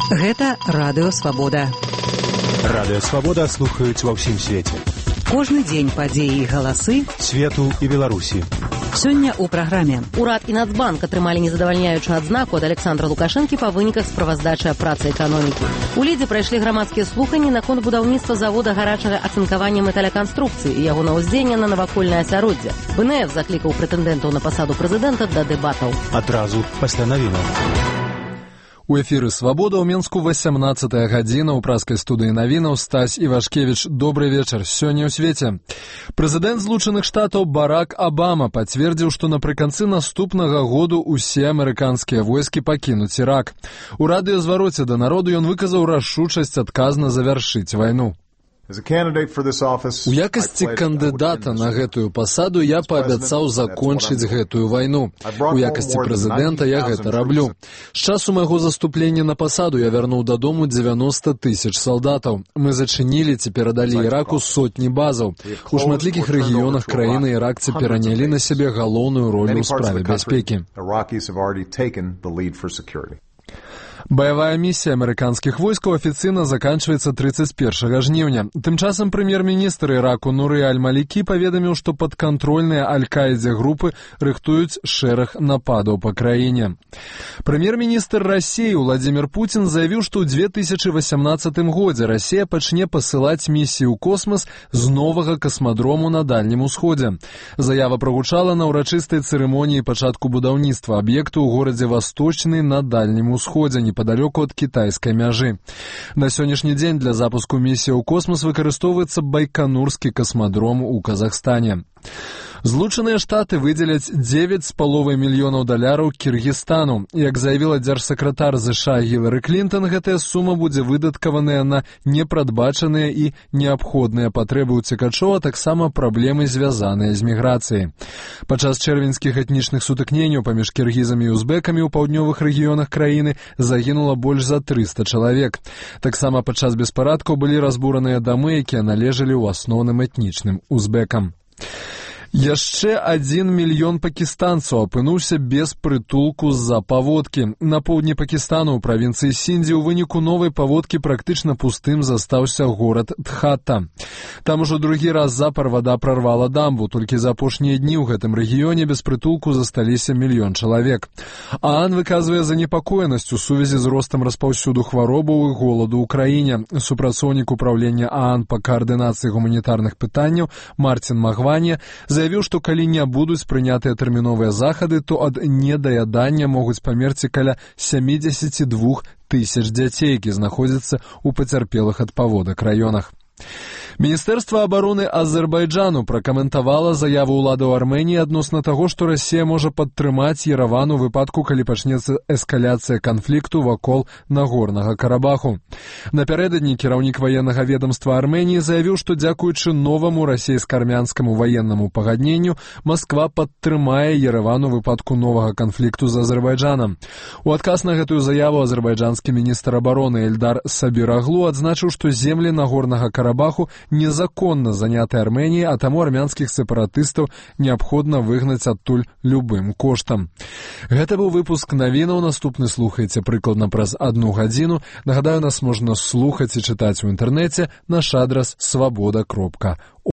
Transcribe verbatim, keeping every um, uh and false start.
Гэта Радыё Свабода. Радыё Свабода слухаюць ва ўсім свеце. Кожны дзень падзеі і галасы свету і Беларусі. Сёння ў праграме. Урад і Нацбанк атрымалі незадавальняючую адзнаку ад Александра Лукашэнкі па выніках справаздачы аб працы эканомікі. У Лідзе прайшлі грамадскія слуханні наконт будаўніцтва завода гарачага ацынкавання металяканструкцыі і яго наўздзеяння на навакольнае асяроддзе. БНФ заклікаў прэтэндэнтаў на пасаду прэзідэнта да дэбатаў. Адразу пасля навінаў. У эфіры «Свабода» ў Менску васямнаццатая гадзіна ў праскай студыі навінаў. Стась Івашкевіч, добрый вечар. Сёння ў свеце. Прэзідэнт Злучаных Штатаў Барак Абама пацвердзіў, што напрыканцы наступнага году ўсе амерыканскія войскі пакінуць Ірак. У радыёзвароце да народу ён выказаў рашучасць адказна завяршыць вайну. У якасці кандыдата на гэтую пасаду я паабяцаў закончыць гэтую вайну. У якасці прэзідэнта я гэта раблю. З часу майго заступлення на пасаду я вярнуў дадому дзевяноста тысяч салдатаў. Мы зачынілі ці перадалі Іраку сотні базаў. У шматлікіх рэгіёнах краіны іракцы перанялі на сябе галоўную ролю ў справе бяспекі. Баявая місія амерыканскіх войскаў афіцыйна заканчваецца трыццаць першага жніўня. Тым часам прэм'ер-міністр Іраку Нуры Аль-Малікі паведаміў, што падкантрольныя Аль-Каідзе групы рыхтуюць шэраг нападаў па краіне. Прэм'ер-міністр Расіі Владзімір Пуцін заявіў, што ў две тысячы васямнаццатым годзе Расія пачне пасылаць місію ў космас з новага касмадрому на Дальнім Усходзе. Заява прагучала на ўрачыстай цырымоніі пачатку будаўніцтва аб'екту ў горадзе Васточны на Дальнім Усходзе, непадалёку ад кітайскай мяжы. На сённяшні дзень для запуску місіі ў космас выкарыстоўваецца Байканурскі касмадром у Казахстане. Злучаныя Штаты выдзеляць дзевяць з паловай мільёнаў даляраў Кіргізстану. Як заявіла дзяржсакратар ЗША Гілары Клінтон, гэтая сума будзе выдаткаваная на непрадбачаныя і неабходныя патрэбы ўцекачоў, а таксама праблемы, звязаныя з міграцыяй. Падчас чэрвеньскіх этнічных сутыкненняў паміж кіргізамі і узбекамі ў паўднёвых рэгіёнах краіны загінула больш за трыста чалавек. Таксама падчас беспарадкаў былі разбураныя дамы, якія належалі ў асноўным этнічным узбекам. Яшчэ адзін мільён пакістанцаў апынуўся без прытулку з-за паводкі. На поўдні Пакістану ў правінцыі Сіндзі ў выніку новай паводкі практычна пустым застаўся горад Дхата. Там ужо другі раз запар вада прарвала дамбу. Толькі за апошнія дні ў гэтым рэгіёне без прытулку засталіся мільён чалавек. ААН выказвае занепакоенасць у сувязі з ростам распаўсюду хваробаў і голаду ў краіне. Супрацоўнік управлення ААН па каардынацыі гуманітарных пытанняў Мартин Магванья заявіў, што калі не будуць прынятыя тэрміновыя захады, то ад недаядання могуць памерці каля сямдзесят два тысяч дзяцей, які знаходзяцца ў пацярпелых ад паводак раёнах. Міністэрства абароны Азербайджану пракаментавала заяву ўладаў Арменіі адносна таго, што Расія можа падтрымаць Ерэван у выпадку, калі пачнецца эскаляцыя канфлікту вакол Нагорнага Карабаху. Напярэдадні кіраўнік ваеннага ведамства Арменіі заявіў, што дзякуючы новаму расійска-армянскаму ваеннаму пагадненню Масква падтрымае Ерэван у выпадку новага канфлікту з Азербайджанам. У адказ на гэтую заяву азербайджанскі міністр абароны Эльдар Сабираглу адзначыў, што землі Нагорнага Карабаху незаконна заняты Арменіяй, а таму армянскіх сепаратыстаў неабходна выгнаць адтуль любым коштам. Гэта быў выпуск навінаў. Наступны слухайце прыкладна праз адну гадзіну. Нагадаю, нас можна слухаць і чытаць у інтэрнэце. Наш адрас свабода кропка орг.